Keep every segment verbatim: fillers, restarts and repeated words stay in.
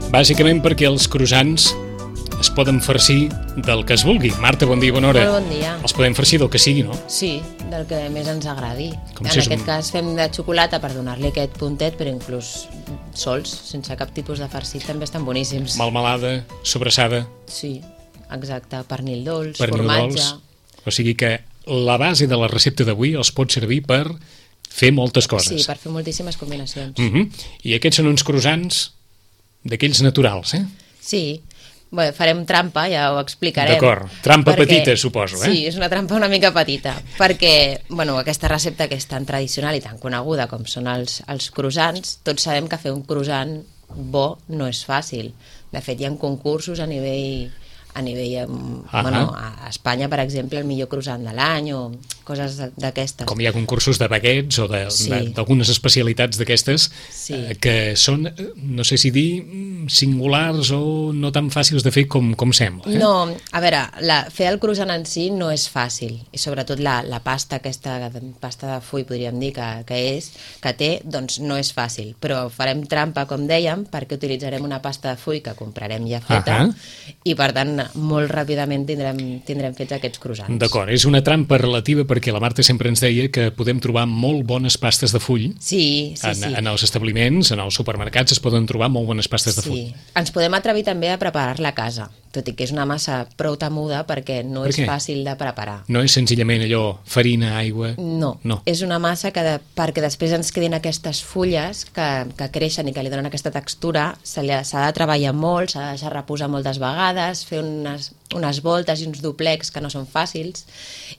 Bàsicament perquè els croissants es poden farcir del que es vulgui. Marta, bon dia, bona hora. Molt bon dia. Els podem farcir del que sigui, no? Sí, del que més ens agradi. Com en si és aquest un- cas fem de xocolata per donar-li aquest puntet, però inclús sols, sense cap tipus de farcit, també estan boníssims. Melmelada, sobrassada, Sí, exacte. Pernil dolç, pernil formatge... dolç. O sigui que la base de la recepta d'avui els pot servir per fer moltes coses. Sí, per fer moltíssimes combinacions. Mhm. I aquests són uns croissants d'aquells naturals, eh? Sí, bé, farem trampa, ja ho explicarem. D'acord. Trampa petita, suposo, eh? Sí, és una trampa una mica petita, perquè bueno, aquesta recepta que és tan tradicional i tan coneguda com són els, els croissants, tots sabem que fer un croissant bo no és fàcil. De fet, hi ha concursos a nivell... a nivell, um, Ahà. bueno, a Espanya, per exemple, el millor croissant de l'any o coses d'aquestes. Com hi ha concursos de baguettes o de- Sí. de- d'algunes especialitats d'aquestes Sí. eh, que són, eh, no sé si dir, mm, singulars o no tan fàcils de fer com, com sembla. Eh? No, a veure, la, fer el croissant en si no és fàcil, i sobretot la, la pasta, aquesta pasta de full, podríem dir que, que és, que té, doncs no és fàcil, però farem trampa, com dèiem, perquè utilitzarem una pasta de full que comprarem ja feta, Ahà. i per tant, molt ràpidament tindrem, tindrem fets aquests croissants. D'acord, és una trampa relativa perquè la Marta sempre ens deia que podem trobar molt bones pastes de full. Sí, sí, en, sí. en els establiments, en els supermercats es poden trobar molt bones pastes de full. Sí, ens podem atrevir també a preparar-la a casa, tot i que és una massa prou temuda perquè no Per és què? fàcil de preparar. No és senzillament allò, farina, aigua... No, No. és una massa que de, perquè després ens quedin aquestes fulles que, que creixen i que li donen aquesta textura, se li ha- s'ha de treballar molt, s'ha de deixar reposar moltes vegades, fer unes, unes voltes i uns doplecs que no són fàcils,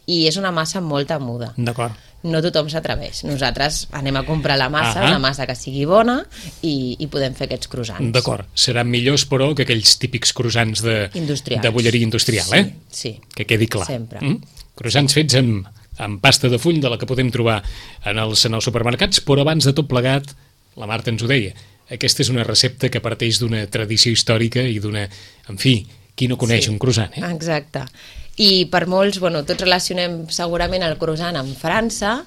i és una massa molt temuda. D'acord. No tothom s'atreveix. Nosaltres anem a comprar la massa, Ahà. una massa que sigui bona, i, i podem fer aquests croissants. D'acord. Seran millors, però, que aquells típics croissants de, Industrials. de bolleria industrial, Sí, eh? sí. Que quedi clar. Sempre. Mm? Croissants fets amb, amb pasta de full, de la que podem trobar en els, en els supermercats, però abans de tot plegat, la Marta ens ho deia, aquesta és una recepta que parteix d'una tradició històrica i d'una... En fi, qui no coneix Sí. un croissant, eh? Exacte. I per molts, bueno, tots relacionem segurament el croissant amb França,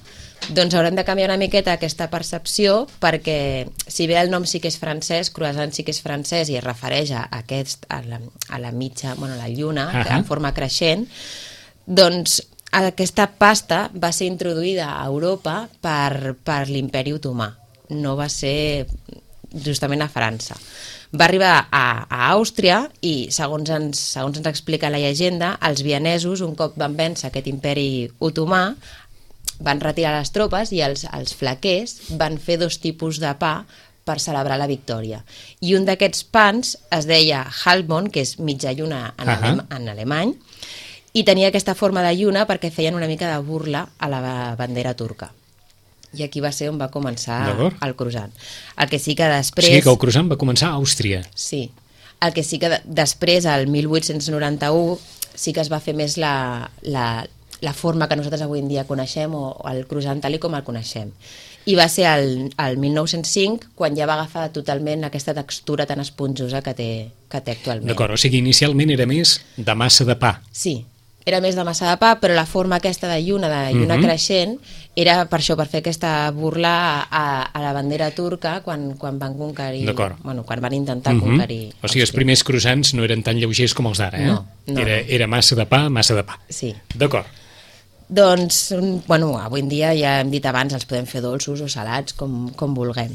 doncs haurem de canviar una miqueta aquesta percepció, perquè si bé el nom sí que és francès, croissant sí que és francès i es refereix a, aquest, a, la, a la mitja, bueno, a la lluna, Ahà. en forma creixent, doncs aquesta pasta va ser introduïda a Europa per, per l'imperi otomà, no va ser justament a França. Va arribar a, a Àustria i, segons ens, segons ens explica la llegenda, els vienesos, un cop van vèncer aquest imperi otomà, van retirar les tropes i els, els flaquers van fer dos tipus de pa per celebrar la victòria. I un d'aquests pans es deia Halbmond, que és mitja lluna en, Ahà. alem, en alemany, i tenia aquesta forma de lluna perquè feien una mica de burla a la bandera turca. I aquí va ser on va començar D'acord. el croissant. El que sí que O després... sigui que el croissant va començar a Àustria. Sí. El que sí que de, després, al mil vuit-cents noranta-u, sí que es va fer més la, la, la forma que nosaltres avui en dia coneixem, o, o el croissant tal i com el coneixem. I va ser el, el mil nou-cents cinc quan ja va agafar totalment aquesta textura tan esponjosa que té, que té actualment. D'acord, o sigui, inicialment era més de massa de pa. Sí, era més de massa de pa, però la forma aquesta de lluna, de lluna Mhm. creixent, era per això, per fer aquesta burla a, a la bandera turca quan, quan van conquerir... D'acord. Bueno, quan van intentar Mhm. conquerir... O sigui, els Àustria. primers croissants no eren tan lleugers com els d'ara, eh? No, no, era, no. era massa de pa, massa de pa. Sí. D'acord. Doncs, un- bueno, avui en dia, ja hem dit abans, els podem fer dolços o salats, com, com vulguem.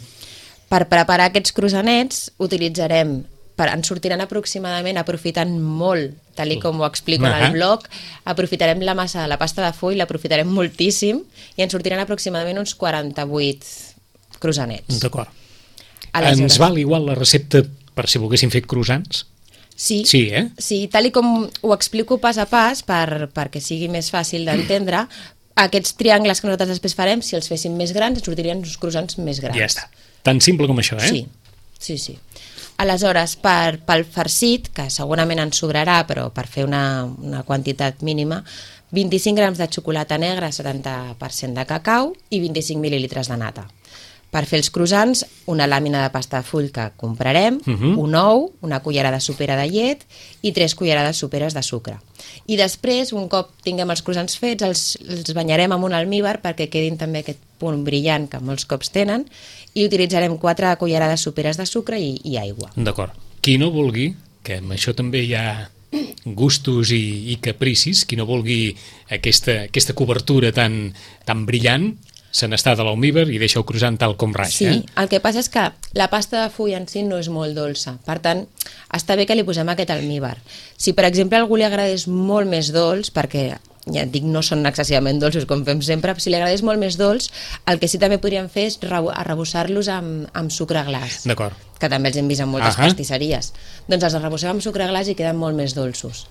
Per preparar aquests croissanets utilitzarem, per, ens sortiran aproximadament, aprofitant molt, tal i com ho explico en Ahà. el blog, aprofitarem la massa de la pasta de full, l'aprofitarem moltíssim, i ens sortiran aproximadament uns quaranta-vuit croissanets. D'acord. Aleshores- Ens val igual la recepta per si volguéssim fer croissants? Sí, Sí, eh? sí, tal i com ho explico pas a pas, per, perquè sigui més fàcil d'entendre, aquests triangles que nosaltres després farem, si els féssim més grans, ens sortirien uns croissants més grans. Ja està. Tan simple com això, eh? Sí, sí, sí. Aleshores, per, pel farcit, que segurament ens sobrarà, però per fer una, una quantitat mínima, vint-i-cinc grams de xocolata negra, setanta per cent de cacau i vint-i-cinc mil·lilitres de nata. Per fer els croissants, una làmina de pasta de full que comprarem, Mhm. un ou, una cullerada sopera de llet i tres cullerades soperes de sucre. I després, un cop tinguem els croissants fets, els, els banyarem amb un almívar perquè quedin també aquest punt brillant que molts cops tenen, i utilitzarem quatre cullerades soperes de sucre i, i aigua. D'acord. Qui no vulgui, que amb això també hi ha gustos i, i capricis, qui no vulgui aquesta, aquesta cobertura tan, tan brillant, se n'està de l'almívar i deixa el croissant tal com raja. Sí, eh? el que passa és que la pasta de full en si no és molt dolça, per tant, està bé que li posem aquest almívar. Si, per exemple, a algú li agradés molt més dolç, perquè ja et dic, no són excessivament dolços com fem sempre, si li agradés molt més dolç, el que sí també podríem fer és arrebossar-los amb, amb sucre glaç. D'acord. Que també els hem vist en moltes Ahà. pastisseries. Doncs els arrebossem amb sucre glaç i queden molt més dolços.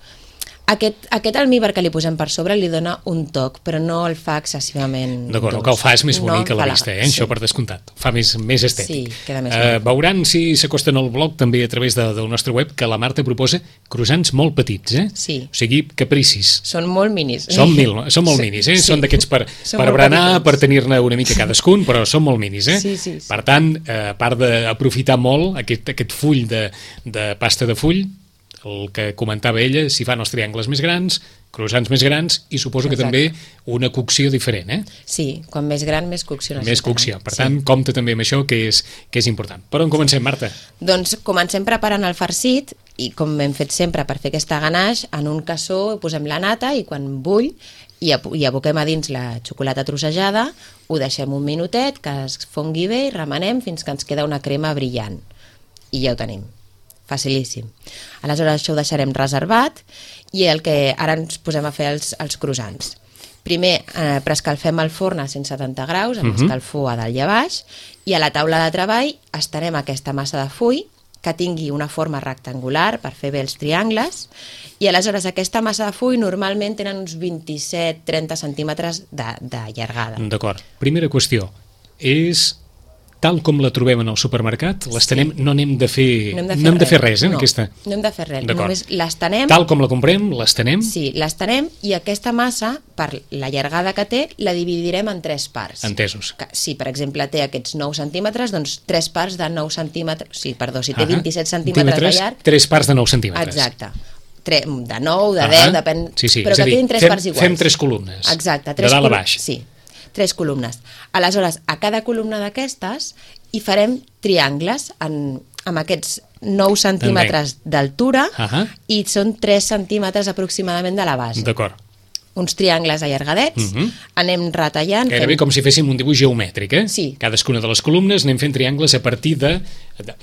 Aquest, aquest almívar que li posem per sobre li dona un toc, però no el fa excessivament D'acord, dolç. el que el fa és més bonic no a la vista, eh? Sí. Això per descomptat. Fa més, més estètic. Sí, queda més Uh, bonic. veuran, si s'acosten al blog, també a través de, del nostre web, que la Marta proposa croissants molt petits, eh? Sí. O sigui, capricis. Són molt minis. Són, mil, són molt Sí, minis, eh? sí. Són d'aquests per, Són per molt berenar, petitons. per tenir-ne una mica cadascun, però són molt minis, eh? Sí, sí, sí. Per tant, eh, a part d'aprofitar molt aquest, aquest full de, de pasta de full, el que comentava ella, si fan els triangles més grans, croissants més grans, i suposo que Exacte. també una cocció diferent, eh? Sí, quan més gran, més cocció necessitarà. Més cocció. Per tant, compte també amb això, que és, que és important. Per on comencem, Marta? Doncs comencem preparant el farcit i com hem fet sempre per fer aquesta ganache, en un cassó posem la nata i quan bull i, hi aboquem a dins la xocolata trossejada, ho deixem un minutet, que es fongui bé i remenem fins que ens queda una crema brillant. I ja ho tenim. Facilíssim. Aleshores això ho deixarem reservat i el que ara ens posem a fer els, els croissants. Primer eh, preescalfem el forn a cent setanta graus, amb uh -huh. escalfor a dalt i a baix, i a la taula de treball estarem aquesta massa de full que tingui una forma rectangular per fer bé els triangles, i aleshores aquesta massa de full normalment tenen uns vint-i-set trenta centímetres de, de llargada. D'acord. Primera qüestió. És tal com la trobem en el supermercat, l'estenem, sí. no n'hem de fer, No hem de fer, no hem de fer res, res, eh, no, aquesta. no hem de fer res, D'acord. només l'estenem. Tal com la comprem, l'estenem. Sí, l'estenem i aquesta massa, per la llargada que té, la dividirem en tres parts. Entesos. Que, si, per exemple, té aquests nou centímetres, doncs tres parts de nou centímetres... Sí, perdó, si té Ahà. vint-i-set centímetres de llarg... Tres parts de nou centímetres. Exacte. Tre, de nou, de Ahà. deu, depèn... Sí, sí. Però És que a dir, quedin tres fem, parts iguals. Fem tres columnes. Exacte. De Tres dalt a col- baix. Sí, tres columnes. Aleshores, a cada columna d'aquestes hi farem triangles en, amb aquests nou centímetres d'altura Ahà. i són tres centímetres aproximadament de la base. D'acord. Uns triangles allargadets, Mhm. anem retallant... Gairebé fent- com si féssim un dibuix geomètric, eh? Sí. Cadascuna de les columnes anem fent triangles a partir de... de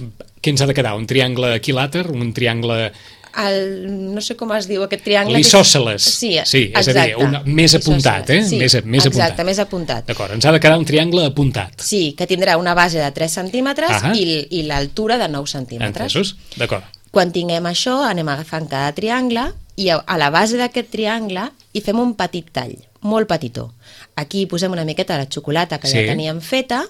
què ens ha de quedar? Un triangle equilàter? Un triangle... El, no sé com es diu aquest triangle... L'isòsceles. Sí, sí, és exacte. a dir, una, més apuntat, eh? Sí, més, més exacte, apuntat. més apuntat. D'acord, ens ha de quedar un triangle apuntat. Sí, que tindrà una base de tres centímetres Ahà. i, i l'altura de nou centímetres. Entesos? D'acord. Quan tinguem això, anem agafant cada triangle i a, a la base d'aquest triangle hi fem un petit tall, molt petitó. Aquí hi posem una miqueta de la xocolata que Sí. ja teníem feta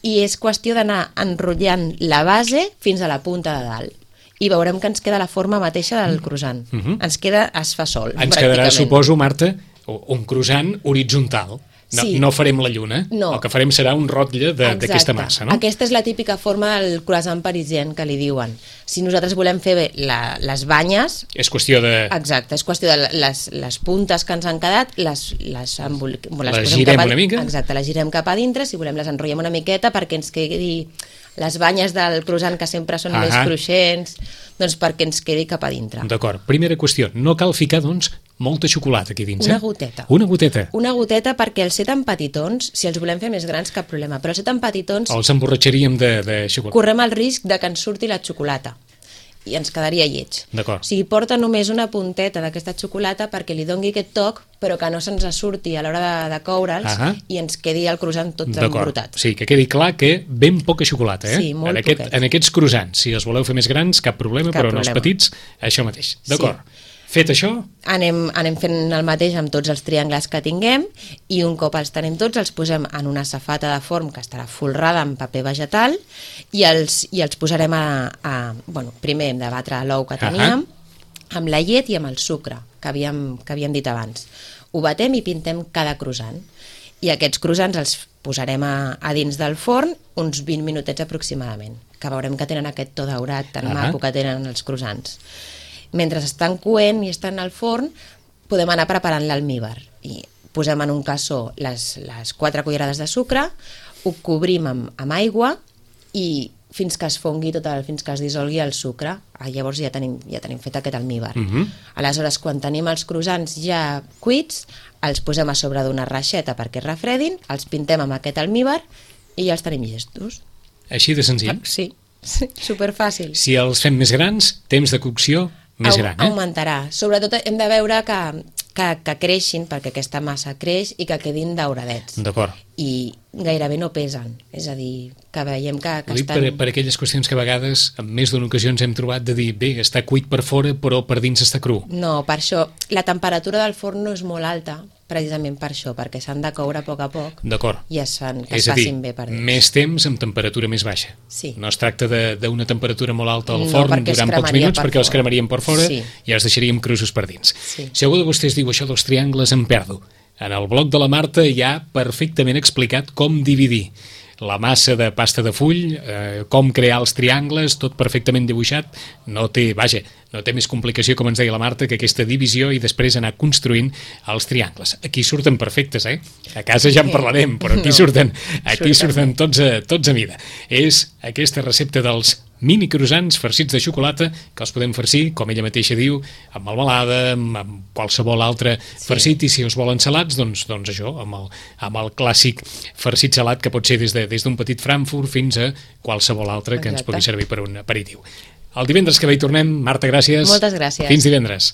i és qüestió d'anar enrotllant la base fins a la punta de dalt. I veurem que ens queda la forma mateixa del croissant. Mhm. Ens queda, es fa sol, Ens quedarà, pràcticament. suposo, Marta, un croissant horitzontal. No, Sí. no farem la lluna. No. El que farem serà un rotlle de- Exacte. d'aquesta massa, no? Aquesta és la típica forma del croissant parisien que li diuen. Si nosaltres volem fer bé la, les banyes, És qüestió de... exacte, és qüestió de les, les puntes que ens han quedat, les, les, embol... les, Les posem girem cap a, una mica. Exacte, les girem cap a dintre, si volem les enrotllem una miqueta perquè ens quedi les banyes del croissant que sempre són Ahà. més cruixents, doncs perquè ens quedi cap a dintre. D'acord. Primera qüestió. No cal ficar, doncs, molta xocolata aquí dins, Una eh? goteta. Una goteta. Una goteta perquè els ser tan petitons, si els volem fer més grans, cap problema, però els ser tan petitons Els emborratxaríem de, de xocolata. correm el risc de que ens surti la xocolata i ens quedaria lleig. D'acord. O sigui, porta només una punteta d'aquesta xocolata perquè li dongui aquest toc, però que no se'ns surti a l'hora de, de coure'ls Ahà. i ens quedi el croissant tot D'acord. embrutat. Sí, que quedi clar que ben poca xocolata, eh? Sí, molt en, aquest, poquet. en aquests croissants. Si els voleu fer més grans, cap problema, Cap però en els problema. petits, això mateix. D'acord. Fet això, Anem, anem fent el mateix amb tots els triangles que tinguem i un cop els tenim tots els posem en una safata de forn que estarà folrada amb paper vegetal i els, i els posarem a, a... Bueno, primer hem de batre l'ou que teníem amb la llet i amb el sucre que havíem, que havíem dit abans. Ho batem i pintem cada croissant. I aquests croissants els posarem a, a dins del forn uns vint minutets aproximadament, que veurem que tenen aquest to daurat tan Ahà. maco que tenen els croissants. Mentre estan coent i estan al forn, podem anar preparant l'almívar. I posem en un cassó les, les quatre cullerades de sucre, ho cobrim amb, amb aigua i fins que es fongui tot el, fins que es dissolgui el sucre. Ah, llavors ja tenim, ja tenim fet aquest almíbar. Mhm. Aleshores, quan tenim els croissants ja cuits, els posem a sobre d'una reixeta perquè es refredin, els pintem amb aquest almíbar i ja els tenim llestos. Així de senzill. Sí, sí, superfàcil. Si els fem més grans, temps de cocció més Au- gran, eh? Augmentarà. Sobretot hem de veure que, que, que creixin, perquè aquesta massa creix i que quedin dauradets. D'acord. I gairebé no pesen. És a dir, que veiem que, que Ho dic estan... per, per aquelles qüestions que a vegades, en més d'una ocasió ens hem trobat de dir, bé, està cuit per fora, però per dins està cru. No, per això. La temperatura del forn no és molt alta, precisament per això, perquè s'han de coure a poc a poc D'acord. i es, fan, que És es a dir, facin bé per dins. més temps amb temperatura més baixa. Sí. No es tracta de- d'una temperatura molt alta al No, forn perquè es durant pocs cremaria minuts, per perquè els fora. cremaríem per fora Sí. i els deixaríem crusos per dins. Sí. Si algú de vostès diu això dels triangles, em perdo. En el blog de la Marta hi ha perfectament explicat com dividir la massa de pasta de full, eh, com crear els triangles, tot perfectament dibuixat. No té, vaja, no té més complicació, com ens deia la Marta, que aquesta divisió i després anar construint els triangles. Aquí surten perfectes, eh? A casa ja en parlarem, però aquí No, surten, aquí surten surten tots a, tots a mida. És aquesta recepta dels mini croissants farcits de xocolata que els podem farcir, com ella mateixa diu, amb melmelada, amb, amb qualsevol altre farcit, i si us volen salats, doncs, doncs això, amb el, amb el clàssic farcit salat que pot ser des de des d'un petit Frankfurt fins a qualsevol altre que ens Exacte. pugui servir per un aperitiu. El divendres que ve hi tornem. Marta, gràcies. Moltes gràcies. Fins divendres.